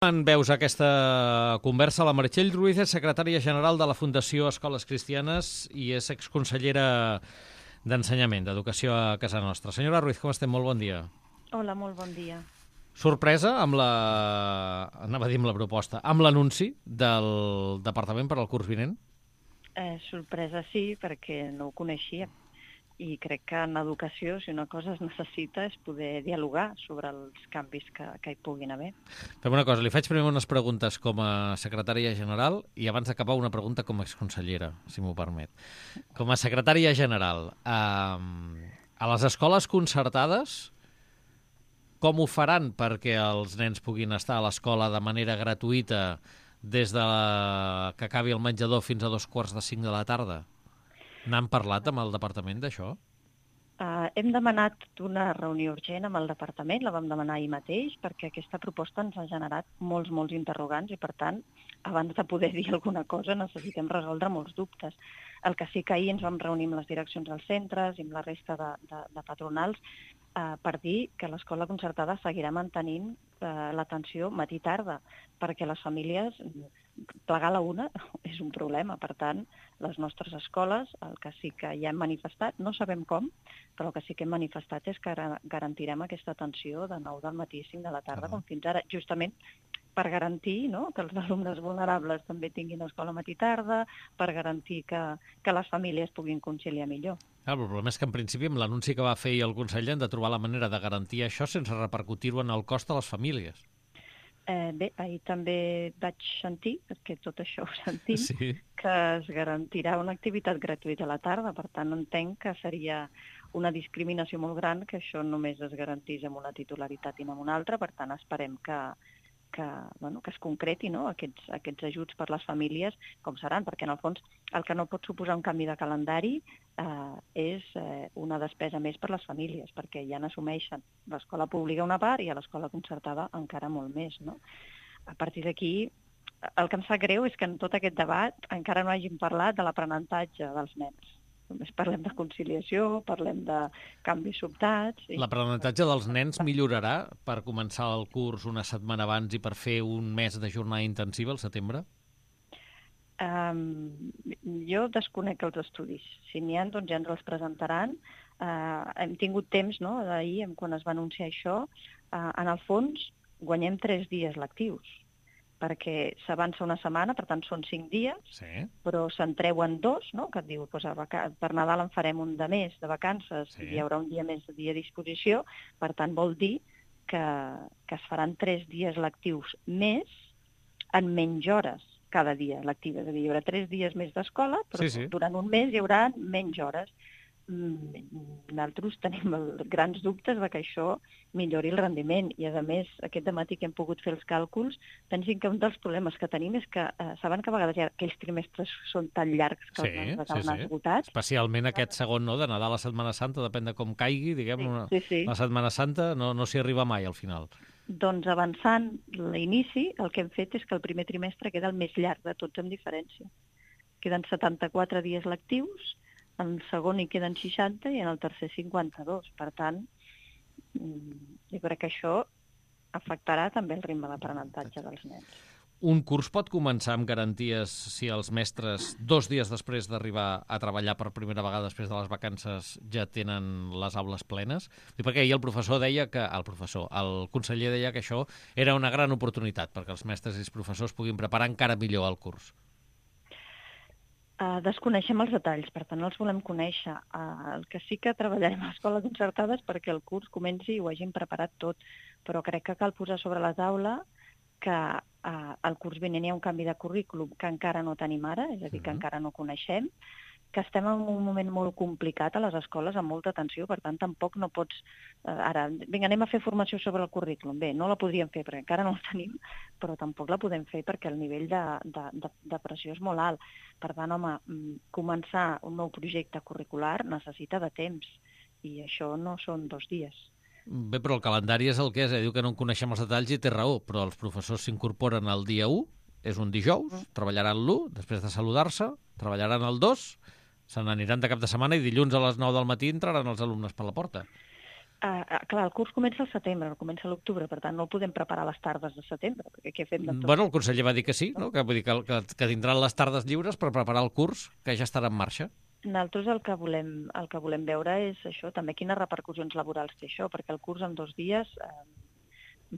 En veus aquesta conversa, la Meritxell Ruiz és secretària general de la Fundació Escoles Cristianes i és exconsellera d'Ensenyament, d'Educació a casa nostra. Senyora Ruiz, com estem? Molt bon dia. Hola, molt bon dia. Sorpresa amb la proposta, amb l'anunci del Departament per al curs vinent? Sorpresa sí, perquè no ho coneixia. I crec que en educació, si una cosa es necessita, és poder dialogar sobre els canvis que hi puguin haver. Fem una cosa, li faig primer unes preguntes com a secretària general i abans d'acabar una pregunta com a exconsellera, si m'ho permet. Com a secretària general, a les escoles concertades, com ho faran perquè els nens puguin estar a l'escola de manera gratuïta des de que acabi el menjador fins a 4:45 de la tarda? N'han parlat amb el departament d'això? Hem demanat una reunió urgent amb el departament, la vam demanar ahir mateix, perquè aquesta proposta ens ha generat molts interrogants i, per tant, abans de poder dir alguna cosa necessitem resoldre molts dubtes. El que sí que ahir ens vam reunir amb les direccions dels centres i amb la resta de patronals per dir que l'escola concertada seguirà mantenint l'atenció matí-tarda, perquè les famílies plegar a la una és un problema. Per tant, les nostres escoles, el que sí que ja hem manifestat, no sabem com, però el que sí que hem manifestat és que garantirem aquesta atenció de 9 del matí a 5 de la tarda, com fins ara, justament per garantir, no?, que els alumnes vulnerables també tinguin escola matí-tarda, per garantir que les famílies puguin conciliar millor. El problema és que, en principi, amb l'anunci que va fer el conseller han de trobar la manera de garantir això sense repercutir-ho en el cost a les famílies. Bé, ahir també vaig sentir, perquè tot això ho sentim, sí, que es garantirà una activitat gratuïta a la tarda. Per tant, entenc que seria una discriminació molt gran que això només es garantís amb una titularitat i no amb una altra. Per tant, esperem que es concreti, no?, aquests ajuts per les famílies, com seran, perquè en el fons el que no pot suposar un canvi de calendari és una despesa més per les famílies, perquè ja n'assumeixen l'escola pública una part i a l'escola concertada encara molt més, no? A partir d'aquí, el que em sap greu és que en tot aquest debat encara no hàgim parlat de l'aprenentatge dels nens. Només parlem de conciliació, parlem de canvis sobtats... L'aprenentatge dels nens millorarà per començar el curs una setmana abans i per fer un mes de jornada intensiva al setembre? Jo desconec els estudis. Si n'hi ha, doncs ja ens els presentaran. Hem tingut temps, no?, d'ahir, quan es va anunciar això. En el fons, guanyem 3 dies lectius, perquè s'avança una setmana, per tant són 5 dies, sí, però se'n treuen 2, no?, que et diu, doncs, per Nadal en farem un de més de vacances, sí, hi haurà un dia més de dia a disposició, per tant vol dir que es faran 3 dies lectius més en menys hores cada dia lectiva. És a dir, hi haurà 3 dies més d'escola, però sí, durant un mes hi haurà menys hores. Nosaltres tenim grans dubtes de que això millori el rendiment i, a més, aquest dematí que hem pogut fer els càlculs, pensin que un dels problemes que tenim és que saben que a vegades aquells trimestres són tan llargs que els alumnes esgotats. Especialment aquest segon, no?, de Nadal a Setmana Santa, depèn de com caigui, diguem, la Setmana Santa no s'hi arriba mai al final. Doncs avançant l'inici, el que hem fet és que el primer trimestre queda el més llarg de tots amb diferència. Queden 74 dies lectius, en el segon hi queden 60 i en el tercer 52. Per tant, jo crec que això afectarà també el ritme d'aprenentatge dels nens. Un curs pot començar amb garanties si els mestres 2 dies després d'arribar a treballar per primera vegada després de les vacances ja tenen les aules plenes? Perquè ahir el conseller deia que això era una gran oportunitat perquè els mestres i els professors puguin preparar encara millor el curs. Desconeixem els detalls, per tant els volem conèixer. El que sí que treballarem a l'escola concertada és perquè el curs comenci i ho hagin preparat tot, però crec que cal posar sobre la taula que al curs vinent hi ha un canvi de currículum que encara no tenim ara, és a dir, que encara no coneixem, que estem en un moment molt complicat a les escoles, amb molta tensió, per tant, tampoc no pots... Ara, vinga, anem a fer formació sobre el currículum. Bé, no la podríem fer perquè encara no la tenim, però tampoc la podem fer perquè el nivell de pressió és molt alt. Per tant, home, començar un nou projecte curricular necessita de temps, i això no són 2 dies. Bé, però el calendari és el que és, diu que no en coneixem els detalls i té raó, però els professors s'incorporen el dia 1, és un dijous, treballaran l'1, després de saludar-se, treballaran el 2, se n'aniran de cap de setmana i dilluns a les 9 del matí entraran els alumnes per la porta. Clar, el curs comença al setembre, no comença a l'octubre, per tant no el podem preparar a les tardes de setembre, perquè què fem de tot? Bueno, el conseller va dir que sí, no? Que vull dir que tindran les tardes lliures per preparar el curs, que ja estarà en marxa. Nosaltres el que volem veure és això, també quines repercussions laborals té això, perquè el curs en 2 dies,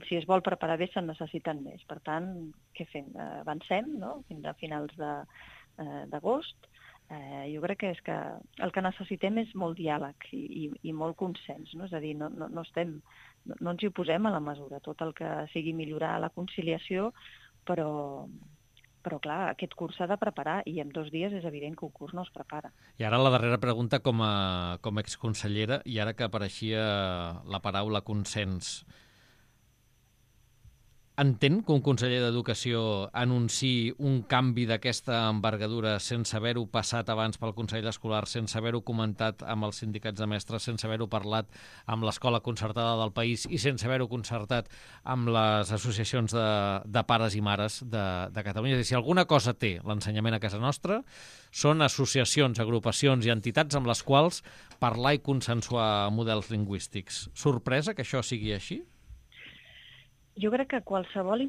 si es vol preparar bé, se'n necessiten més. Per tant, què fem? Avancem, no?, fins a finals d'agost. Jo crec que és que el que necessitem és molt diàleg i molt consens, no? És a dir, no ens hi oposem a la mesura, tot el que sigui millorar la conciliació, però clar, aquest curs s'ha de preparar i en 2 dies és evident que un curs no es prepara. I ara la darrera pregunta com a exconsellera, i ara que apareixia la paraula consens. Entén que un conseller d'Educació anunciï un canvi d'aquesta envergadura sense haver-ho passat abans pel Consell Escolar, sense haver-ho comentat amb els sindicats de mestres, sense haver-ho parlat amb l'escola concertada del país i sense haver-ho concertat amb les associacions de pares i mares de Catalunya. És a dir, si alguna cosa té l'ensenyament a casa nostra, són associacions, agrupacions i entitats amb les quals parlar i consensuar models lingüístics. Sorpresa que això sigui així? Jo crec que qualsevol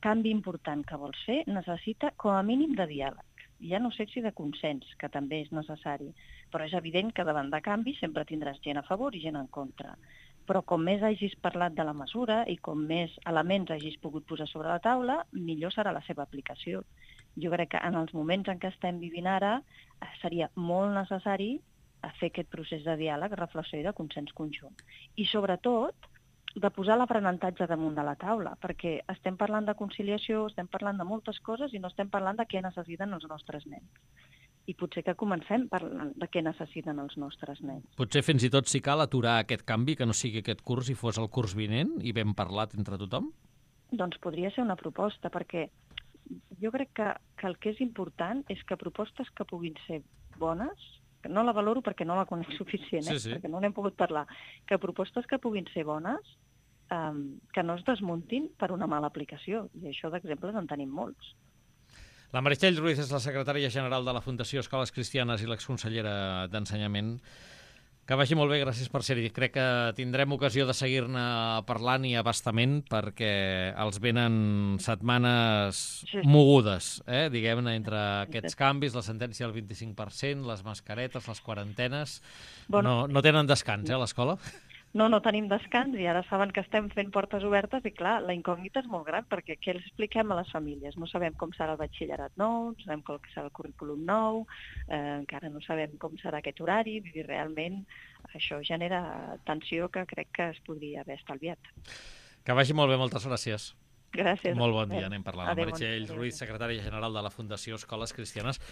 canvi important que vols fer necessita com a mínim de diàleg. Ja no sé si de consens, que també és necessari, però és evident que davant de canvi sempre tindràs gent a favor i gent en contra. Però com més hagis parlat de la mesura i com més elements hagis pogut posar sobre la taula, millor serà la seva aplicació. Jo crec que en els moments en què estem vivint ara seria molt necessari fer aquest procés de diàleg, reflexió i de consens conjunt. I sobretot, de posar l'aprenentatge damunt de la taula, perquè estem parlant de conciliació, estem parlant de moltes coses i no estem parlant de què necessiten els nostres nens. I potser que comencem parlant de què necessiten els nostres nens. Potser fins i tot si cal aturar aquest canvi, que no sigui aquest curs i fos el curs vinent i ben parlat entre tothom? Doncs podria ser una proposta, perquè jo crec que el que és important és que propostes que puguin ser bones, no la valoro perquè no la conec suficient, sí. perquè no n'hem pogut parlar, que propostes que puguin ser bones, que no es desmuntin per una mala aplicació. I això d'exemples en tenim molts. La Meritxell Ruiz és la secretària general de la Fundació Escoles Cristianes i l'exconsellera d'Ensenyament. Que vagi molt bé, gràcies per ser-hi. Crec que tindrem ocasió de seguir-ne parlant i abastament perquè els venen setmanes mogudes, diguem-ne, entre aquests canvis, la sentència del 25%, les mascaretes, les quarantenes. Bueno, no tenen descans, a l'escola? No tenim descans i ara saben que estem fent portes obertes i, clar, la incògnita és molt gran perquè què els expliquem a les famílies? No sabem com serà el batxillerat nou, no sabem com serà el currículum nou, encara no sabem com serà aquest horari, i realment això genera tensió que crec que es podria haver estalviat. Que vagi molt bé, moltes gràcies. Gràcies. Molt bon dia, anem parlant. La Meritxell Ruiz, secretària general de la Fundació Escoles Cristianes.